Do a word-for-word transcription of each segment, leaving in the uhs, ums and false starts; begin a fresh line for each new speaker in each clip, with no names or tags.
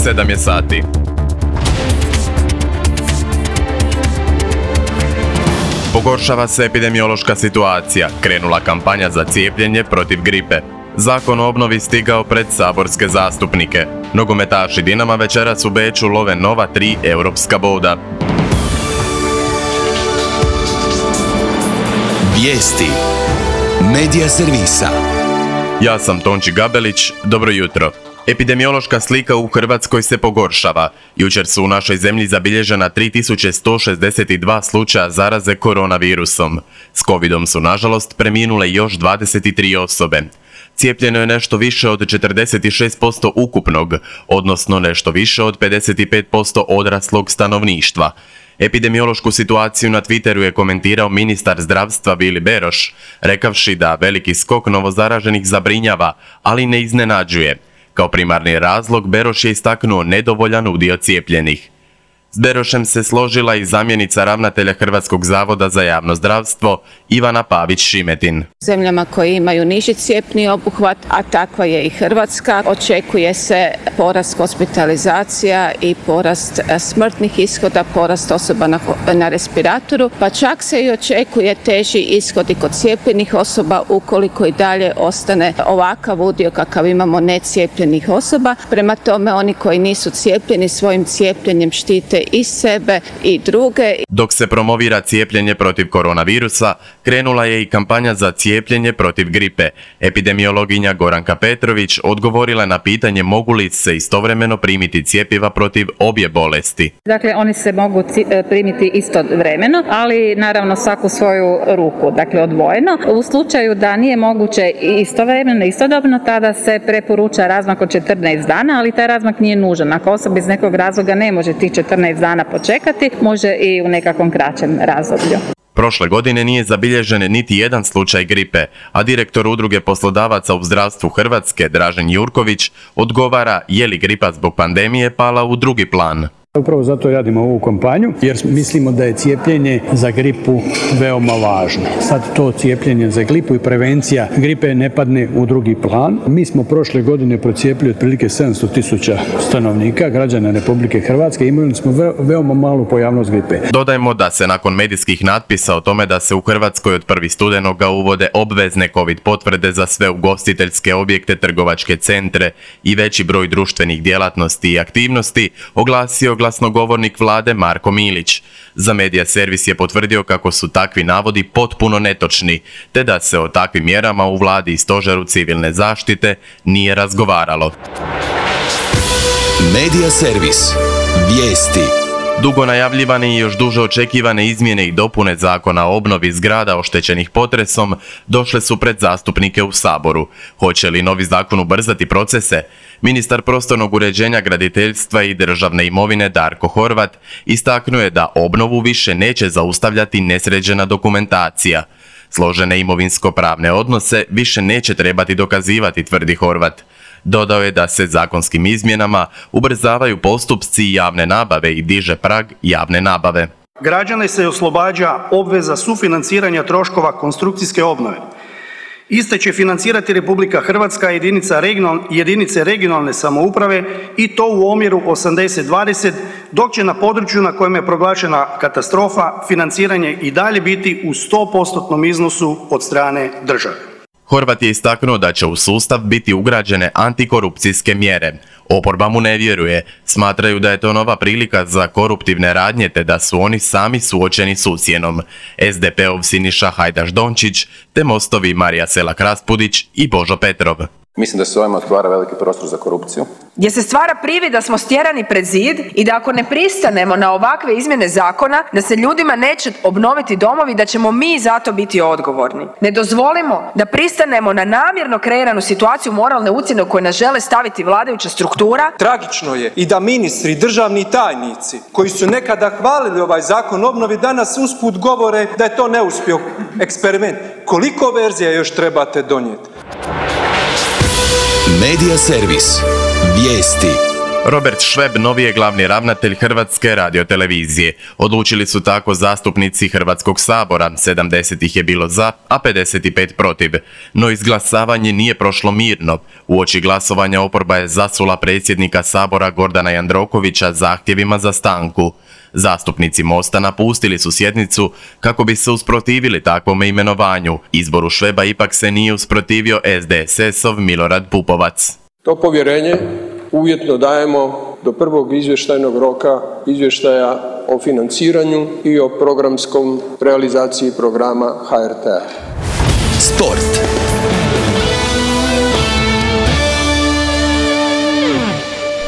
sedam je sati. Pogoršava se epidemiološka situacija, krenula kampanja za cijepljenje protiv gripe. Zakon o obnovi stigao pred saborske zastupnike. Nogometaši Dinama večeras u Beču love nova tri europska boda.
Vijesti Medija servisa.
Ja sam Tonči Gabelić, dobro jutro. Epidemiološka slika u Hrvatskoj se pogoršava. Jučer su u našoj zemlji zabilježena tri tisuće sto šezdeset dva slučaja zaraze koronavirusom. S covidom su nažalost preminule još dvadeset tri osobe. Cijepljeno je nešto više od četrdeset šest posto ukupnog, odnosno nešto više od pedeset pet posto odraslog stanovništva. Epidemiološku situaciju na Twitteru je komentirao ministar zdravstva Vili Beroš, rekavši da veliki skok novozaraženih zabrinjava, ali ne iznenađuje. Kao primarni razlog Beroš je istaknuo nedovoljan udio cijepljenih. S Berošem se složila i zamjenica ravnatelja Hrvatskog zavoda za javno zdravstvo Ivana Pavić-Šimetin.
Zemljama koje imaju niži cjepni obuhvat, a takva je i Hrvatska, očekuje se porast hospitalizacija i porast smrtnih ishoda, porast osoba na, na respiratoru, pa čak se i očekuje teži ishod i kod cijepljenih osoba ukoliko i dalje ostane ovakav udio kakav imamo necijepljenih osoba. Prema tome, oni koji nisu cijepljeni svojim cijepljenjem štite i sebe i druge.
Dok se promovira cijepljenje protiv koronavirusa, krenula je i kampanja za cijepljenje protiv gripe. Epidemiologinja Goranka Petrović odgovorila na pitanje mogu li se istovremeno primiti cjepiva protiv obje bolesti.
Dakle, oni se mogu primiti istovremeno, ali naravno svaku svoju ruku, dakle odvojeno. U slučaju da nije moguće istovremeno, istodobno, tada se preporuča razmak od četrnaest dana, ali taj razmak nije nužan. Ako osoba iz nekog razloga ne može tih četrnaest dana počekati, može i u nekakvom kraćem razdoblju.
Prošle godine nije zabilježen niti jedan slučaj gripe, a direktor Udruge poslodavaca u zdravstvu Hrvatske, Dražen Jurković, odgovara je li gripa zbog pandemije pala u drugi plan.
Upravo zato radimo ovu kampanju, jer mislimo da je cijepljenje za gripu veoma važno. Sad to cijepljenje za gripu i prevencija gripe ne padne u drugi plan. Mi smo prošle godine procijepili otprilike sedamsto tisuća stanovnika, građana Republike Hrvatske, imali smo ve- veoma malu pojavnost gripe.
Dodajmo da se nakon medijskih natpisa o tome da se u Hrvatskoj od prvog studenoga uvode obvezne COVID potvrde za sve ugostiteljske objekte, trgovačke centre i veći broj društvenih djelatnosti i aktivnosti, oglasio glasnogovornik vlade Marko Milić. Za Medija servis je potvrdio kako su takvi navodi potpuno netočni, te da se o takvim mjerama u vladi i stožeru civilne zaštite nije razgovaralo.
Medija servis. Vijesti.
Dugo najavljivane i još duže očekivane izmjene i dopune Zakona o obnovi zgrada oštećenih potresom došle su pred zastupnike u Saboru. Hoće li novi zakon ubrzati procese? Ministar prostornog uređenja, graditeljstva i državne imovine Darko Horvat istaknuo je da obnovu više neće zaustavljati nesređena dokumentacija. Složene imovinsko-pravne odnose više neće trebati dokazivati, tvrdi Horvat. Dodao je da se zakonskim izmjenama ubrzavaju postupci javne nabave i diže prag javne nabave.
Građane se oslobađa obveza sufinanciranja troškova konstrukcijske obnove. Iste će financirati Republika Hrvatska, jedinica regional, jedinice regionalne samouprave i to u omjeru osamdeset dvadeset, dok će na području na kojem je proglašena katastrofa financiranje i dalje biti u sto postotnom iznosu od strane države.
Horvat je istaknuo da će u sustav biti ugrađene antikorupcijske mjere. Oporba mu ne vjeruje, smatraju da je to nova prilika za koruptivne radnje te da su oni sami suočeni s ucjenom. es de pe ov Siniša Hajdaš Dončić te Mostovi Marija Selak Raspudić i Božo Petrov.
Mislim da se ovime otvara veliki prostor za korupciju.
Gdje se stvara privid da smo stjerani pred zid i da ako ne pristanemo na ovakve izmjene zakona, da se ljudima neće obnoviti domovi, da ćemo mi za to biti odgovorni. Ne dozvolimo da pristanemo na namjerno kreiranu situaciju moralne ucjene u kojoj nas žele staviti vladajuća struktura.
Tragično je i da ministri i državni tajnici koji su nekada hvalili ovaj zakon o obnovi danas usput govore da je to neuspio eksperiment. Koliko verzija još trebate donijeti?
Medija servis. Vijesti.
Robert Šveb novi je glavni ravnatelj Hrvatske radiotelevizije. Odlučili su tako zastupnici Hrvatskog sabora, sedamdeset ih je bilo za, a pedeset pet protiv. No izglasavanje nije prošlo mirno. Uoči glasovanja oporba je zasula predsjednika sabora Gordana Jandrokovića zahtjevima za stanku. Zastupnici Mosta napustili su sjednicu kako bi se usprotivili takvome imenovanju. Izboru Šveba ipak se nije usprotivio S D S S-ov Milorad Pupovac.
To povjerenje uvjetno dajemo do prvog izvještajnog roka izvještaja o financiranju i o programskom realizaciji programa H R T-a.
Sport.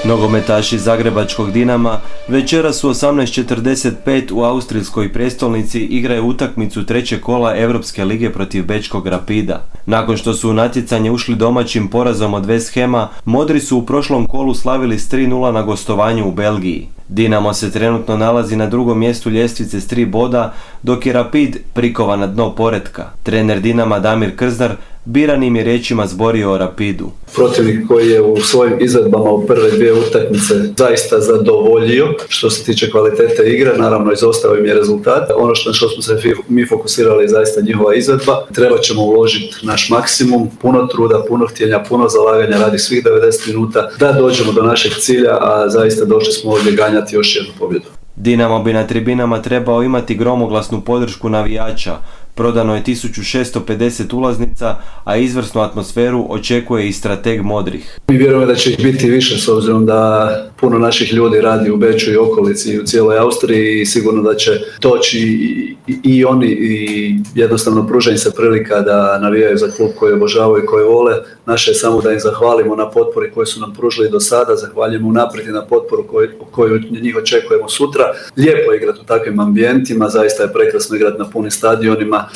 Nogometaši zagrebačkog Dinama večeras u osamnaest četrdeset pet u austrijskoj prijestolnici igraju utakmicu trećeg kola Europske lige protiv bečkog Rapida. Nakon što su u natjecanje ušli domaćim porazom od West Hama, Modri su u prošlom kolu slavili s tri nula na gostovanju u Belgiji. Dinamo se trenutno nalazi na drugom mjestu ljestvice s tri boda, dok je Rapid prikovan na dno poretka. Trener Dinama Damir Krznar biranim je riječima zborio o Rapidu.
Protivnik koji je u svojim izvedbama u prve dvije utakmice zaista zadovoljio što se tiče kvalitete igre, naravno izostao im je rezultat. Ono što, što smo se mi fokusirali je zaista njihova izvedba. Treba ćemo uložiti naš maksimum, puno truda, puno htjenja, puno zalaganja radi svih devedeset minuta da dođemo do našeg cilja, a zaista došli smo ovdje ganjati još jednu pobjedu.
Dinamo bi na tribinama trebao imati gromoglasnu podršku navijača. Prodano je tisuću šesto pedeset ulaznica, a izvrsnu atmosferu očekuje i strateg Modrih.
Mi vjerujemo da će ih biti više s obzirom da puno naših ljudi radi u Beču i okolici i u cijeloj Austriji i sigurno da će doći i, i, i oni i jednostavno pruža im se prilika da navijaju za klub koji obožavaju i koji vole. Naše je samo da im zahvalimo na potpori koju su nam pružili do sada, zahvaljujemo unaprijed na potporu koju, koju njih očekujemo sutra. Lijepo je igrati u takvim ambijentima, zaista je prekrasno igrati na punim stadionima.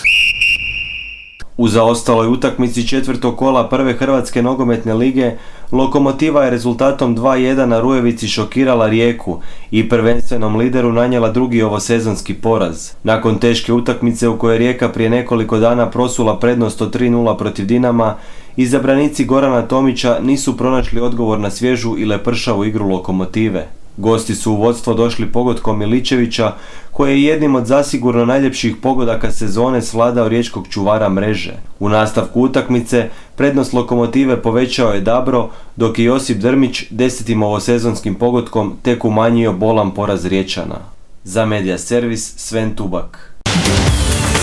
U zaostaloj utakmici četvrtog kola prve Hrvatske nogometne lige, Lokomotiva je rezultatom dva jedan na Rujevici šokirala Rijeku i prvenstvenom lideru nanijela drugi ovosezonski poraz. Nakon teške utakmice u kojoj je Rijeka prije nekoliko dana prosula prednost od tri nula protiv Dinama, izabranici Gorana Tomića nisu pronašli odgovor na svježu i lepršavu igru Lokomotive. Gosti su u vodstvo došli pogodkom Miličevića, koji je jednim od zasigurno najljepših pogodaka sezone svladao riječkog čuvara mreže. U nastavku utakmice prednost Lokomotive povećao je Dabro, dok je Josip Drmić desetim ovosezonskim pogodkom tek umanjio bolan poraz Riječana. Za Medija Servis Sven Tubak.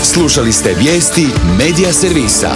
Slušali ste vijesti Medija Servisa.